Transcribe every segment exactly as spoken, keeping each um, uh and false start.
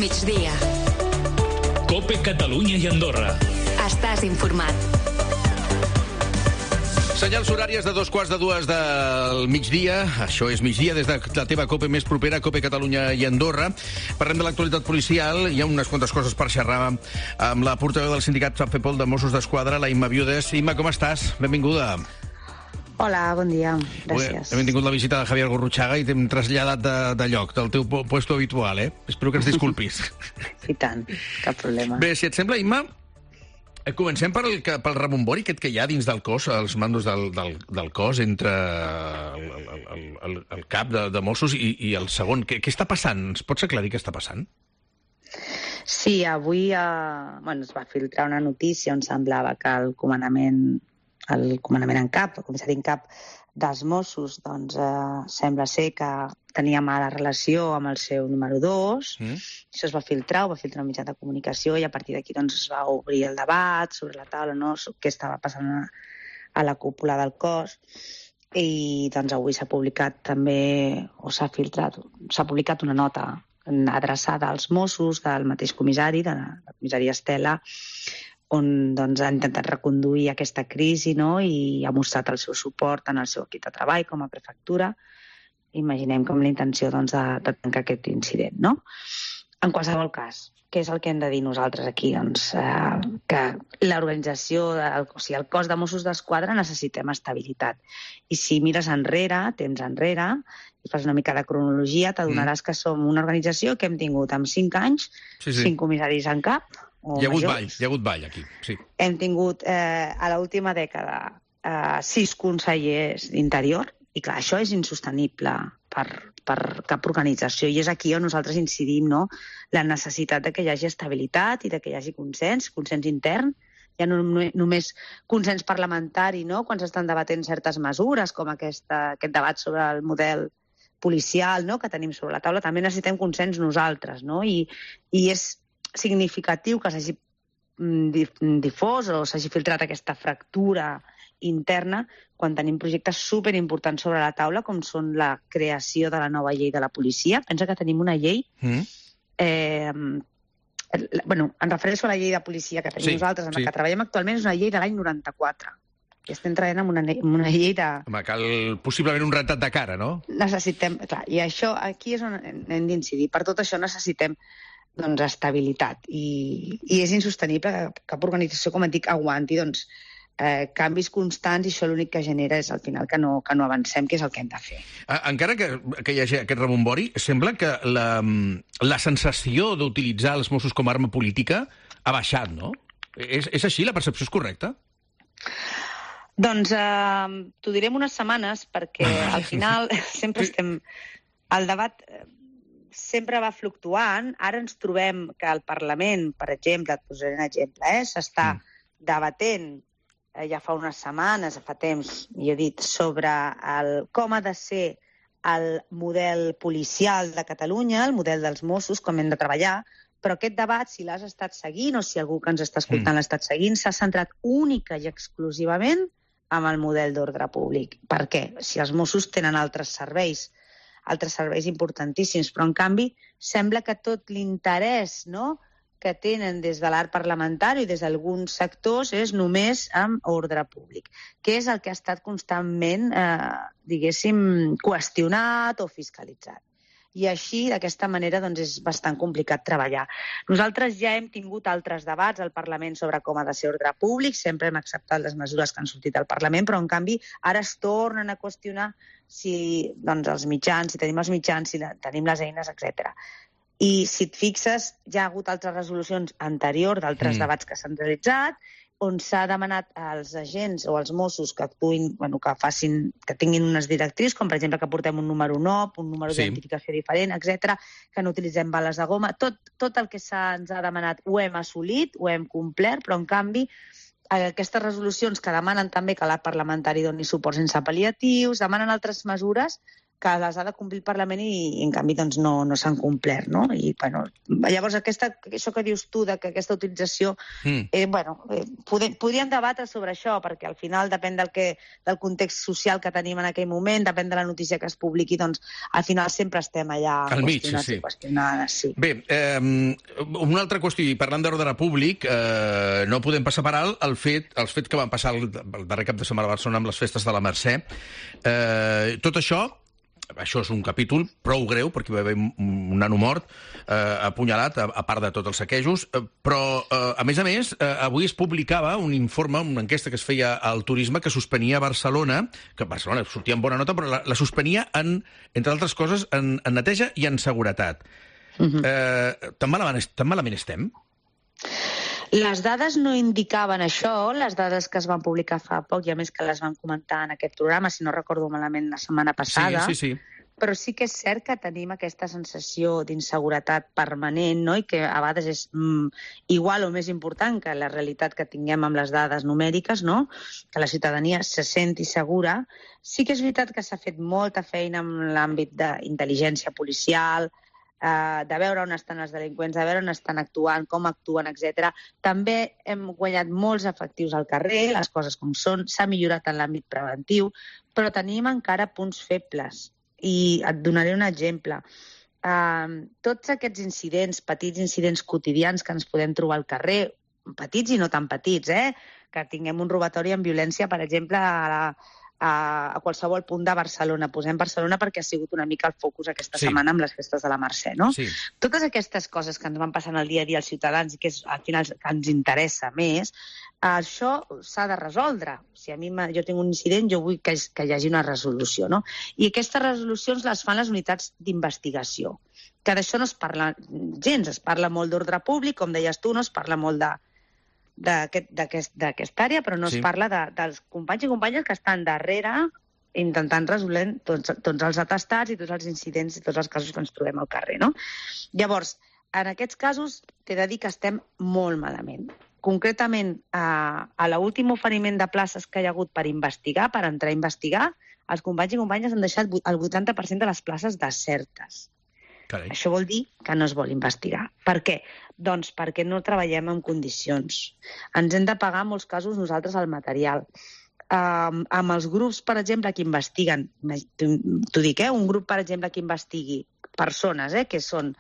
migdia. COPE Catalunya i Andorra. Estàs informat. Senyals horàries de dos quarts de dues del migdia. Això és migdia des de la teva COPE més propera, COPE Catalunya i Andorra. Parlem de l'actualitat policial. Hi ha unes quantes coses per xerrar amb la portaveu del sindicat FEPOL de Mossos d'Esquadra, la Imma Viudes. Imma, com estàs? Benvinguda. Hola, bon dia. Gràcies. Hem tingut la visita de Javier Gurruchaga i t'hem traslladat de, de lloc, del teu puesto habitual, eh? Espero que ens disculpis. I tant, cap problema. Bé, si et sembla, Imma, comencem pel, pel rebombori aquest que hi ha dins del cos, els mandos del, del, del cos, entre el, el, el, el cap de, de Mossos i, i el segon. Què, què està passant? Ens pots aclarir què està passant? Sí, avui eh, bueno, es va filtrar una notícia on semblava que el comandament, el comandament en cap, el comissari en cap dels Mossos, doncs eh, sembla ser que tenia mala relació amb el seu número dos. Mm. Això es va filtrar, ho va filtrar un mitjà de comunicació i a partir d'aquí doncs, es va obrir el debat sobre la taula, no? Què estava passant a, a la cúpula del cos. I doncs, avui s'ha publicat també, o s'ha filtrat, s'ha publicat una nota adreçada als Mossos del mateix comissari, de la, la comissària Estela, on doncs, ha intentat reconduir aquesta crisi, no? I ha mostrat el seu suport en el seu equip de treball com a prefectura. Imaginem com la intenció doncs, de, de tancar aquest incident, no? En qualsevol cas, què és el que hem de dir nosaltres aquí? Doncs eh, que l'organització, o sigui, el cos de Mossos d'Esquadra necessitem estabilitat. I si mires enrere, temps enrere, i fas una mica de cronologia, t'adonaràs mm. que som una organització que hem tingut en cinc anys, sí, sí. cinc comissaris en cap. Hi ha hagut ball, hi ha hagut ball aquí, sí. Hem tingut eh, a l'última dècada eh, sis consellers d'interior, i clar, això és insostenible per, per cap organització, i és aquí on nosaltres incidim, no? La necessitat de que hi hagi estabilitat i de que hi hagi consens, consens intern, ja no només consens parlamentari, no? Quan s'estan debatent certes mesures, com aquesta, aquest debat sobre el model policial, no? Que tenim sobre la taula, també necessitem consens nosaltres, no? I, i és significatiu que s'hagi difós o s'hagi filtrat aquesta fractura interna quan tenim projectes superimportants sobre la taula, com són la creació de la nova llei de la policia. Pensa que tenim una llei... Mm. Eh, bueno, em refereixo a la llei de policia que tenim sí, nosaltres, en sí. la que treballem actualment, és una llei de l'any noranta-quatre. I estem treballant amb una, amb una llei de... Home, cal possiblement un rentat de cara, no? Necessitem... Clar, i això, aquí és on hem d'incidir. Per tot això necessitem doncs, estabilitat. I, i és insostenible que cap organització, com et dic, aguanti doncs, eh, canvis constants, i això l'únic que genera és al final que no, que no avancem, que és el que hem de fer. Encara que, que hi hagi aquest rebombori, sembla que la, la sensació d'utilitzar els Mossos com a arma política ha baixat, no? És, és així? La percepció és correcta? Doncs eh, t'ho diré en unes setmanes, perquè al final sempre estem... El debat... sempre va fluctuant. Ara ens trobem que el Parlament, per exemple, et posaré un exemple, eh, s'està mm. debatent eh, ja fa unes setmanes, fa temps, i he dit, sobre el, com ha de ser el model policial de Catalunya, el model dels Mossos, com hem de treballar, però aquest debat, si l'has estat seguint o si algú que ens està escoltant mm. l'ha estat seguint, s'ha centrat única i exclusivament en el model d'ordre públic. Per què? Si els Mossos tenen altres serveis, altres serveis importantíssims, però en canvi sembla que tot l'interès, no?, que tenen des de l'art parlamentari i des d'alguns sectors és només amb ordre públic, que és el que ha estat constantment, eh, diguéssim, qüestionat o fiscalitzat. I així, d'aquesta manera, doncs, és bastant complicat treballar. Nosaltres ja hem tingut altres debats al Parlament sobre com ha de ser ordre públic, sempre hem acceptat les mesures que han sortit al Parlament, però, en canvi, ara es tornen a qüestionar si doncs, els mitjans, si tenim els mitjans, si tenim les eines, etcètera. I, si et fixes, ja ha hagut altres resolucions anteriors d'altres mm. debats que s'han realitzat, on s'ha demanat als agents o als Mossos que actuïn, bueno, que facin, que tinguin unes directrius, com per exemple que portem un número N O P, un número sí. d'identificació diferent, etcètera, que no utilitzem bales de goma. Tot, tot el que se'ns ha demanat ho hem assolit, ho hem complert, però en canvi aquestes resolucions que demanen també que l'art parlamentari doni suport sense pal·liatius, demanen altres mesures, que les ha de complir el Parlament i, i en canvi, doncs, no, no s'han complert, no? I, bueno, llavors, aquesta, això que dius tu, de que aquesta utilització, mm. eh, bueno, eh, podem, podríem debatre sobre això, perquè al final depèn del, que, del context social que tenim en aquell moment, depèn de la notícia que es publiqui, doncs, al final sempre estem allà al mig, qüestionats sí. i qüestionades, sí. Bé, eh, una altra qüestió, i parlant d'ordre públic, eh, no podem passar per alt el fet, els fets que van passar el, el darrer cap de setmana a Barcelona amb les festes de la Mercè. Eh, tot això, això és un capítol prou greu, perquè va haver un nano mort, eh, apunyalat, a, a part de tots els saquejos, eh, però, eh, a més a més, eh, avui es publicava un informe, una enquesta que es feia al turisme, que suspenia Barcelona, que Barcelona sortia en bona nota, però la, la suspenia, en, entre altres coses, en, en neteja i en seguretat. Uh-huh. eh, tan, malament, tan malament estem? Les dades no indicaven això, les dades que es van publicar fa poc, i a més que les van comentar en aquest programa, si no recordo malament, la setmana passada. Sí, sí, sí. Però sí que és cert que tenim aquesta sensació d'inseguretat permanent, no? I que a vegades és mm, igual o més important que la realitat que tinguem amb les dades numèriques, no? Que la ciutadania se senti segura. Sí que és veritat que s'ha fet molta feina en l'àmbit d'intel·ligència policial, Uh, de veure on estan els delinqüents, de veure on estan actuant, com actuen, etcètera. També hem guanyat molts efectius al carrer, les coses com són, s'ha millorat en l'àmbit preventiu, però tenim encara punts febles. I et donaré un exemple. Uh, tots aquests incidents, petits incidents quotidians que ens podem trobar al carrer, petits i no tan petits, eh? Que tinguem un robatori amb violència, per exemple, a la A, a qualsevol punt de Barcelona. Posem Barcelona perquè ha sigut una mica el focus aquesta sí. setmana amb les festes de la Mercè, no? Sí. Totes aquestes coses que ens van passant al dia a dia als ciutadans i que és, al final que ens interessa més, això s'ha de resoldre. Si a mi jo tinc un incident, jo vull que, que hi hagi una resolució, no? I aquestes resolucions les fan les unitats d'investigació, que d'això no es parla gens, es parla molt d'ordre públic, com deies tu, no es parla molt de d'aquesta aquest, àrea, però no sí. es parla de, dels companys i companyes que estan darrere intentant resoldre tots, tots els atestats i tots els incidents i tots els casos que ens trobem al carrer, no? Llavors, en aquests casos, t'he de dir que estem molt malament. Concretament, a, a l'últim oferiment de places que hi ha hagut per investigar, per entrar a investigar, els companys i companyes han deixat el vuitanta per cent de les places desertes. Carai. Això vol dir que no es vol investigar. Per què? Doncs perquè no treballem en condicions. Ens hem de pagar, en molts casos, nosaltres el material. Um, amb els grups, per exemple, que investiguen, t'ho dic, eh? un grup, per exemple, que investigui persones, eh? que són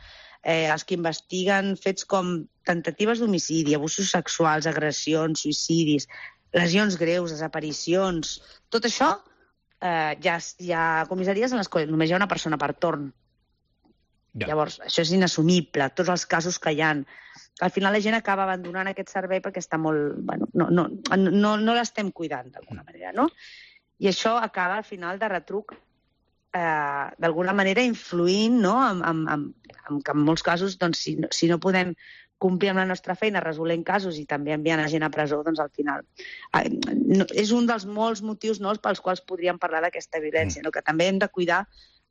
eh, els que investiguen fets com tentatives d'homicidi, abusos sexuals, agressions, suïcidis, lesions greus, desaparicions... Tot això, eh, hi, ha, hi ha comissaries en les quals només hi ha una persona per torn. Ja. Llavors, això és inassumible, tots els casos que hi ha. Al final la gent acaba abandonant aquest servei perquè està molt... Bueno, no no, no, no l'estem cuidant, d'alguna manera, no? I això acaba, al final, de retruc, eh, d'alguna manera influint, no?, en, en, en, en que en molts casos, doncs, si, si no podem complir amb la nostra feina, resolent casos i també enviant a gent a presó, doncs al final... Eh, no, és un dels molts motius, no?, pels quals podríem parlar d'aquesta violència, no?, que també hem de cuidar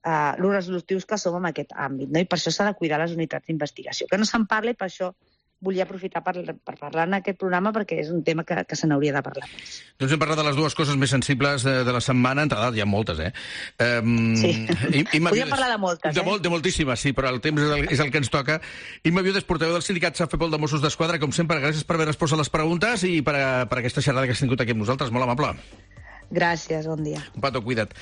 Uh, els resolutius que som en aquest àmbit, no? I per això s'ha de cuidar les unitats d'investigació. Que no se'n parli, per això volia aprofitar per, per parlar en aquest programa, perquè és un tema que, que se n'hauria de parlar més. Doncs hem parlat de les dues coses més sensibles de, de la setmana, entre d'altres hi ha moltes, eh? Um, sí, i, i podríem parlar de moltes, de eh? Molt, de moltíssimes, sí, però el temps és el, és el que ens toca. Imma Viudes, portaveu del sindicat Safepol de Mossos d'Esquadra, com sempre, gràcies per haver respost a les preguntes i per, a, per aquesta xerrada que has tingut aquí amb nosaltres, molt amable. Gràcies, bon dia. Un petó, cuida't.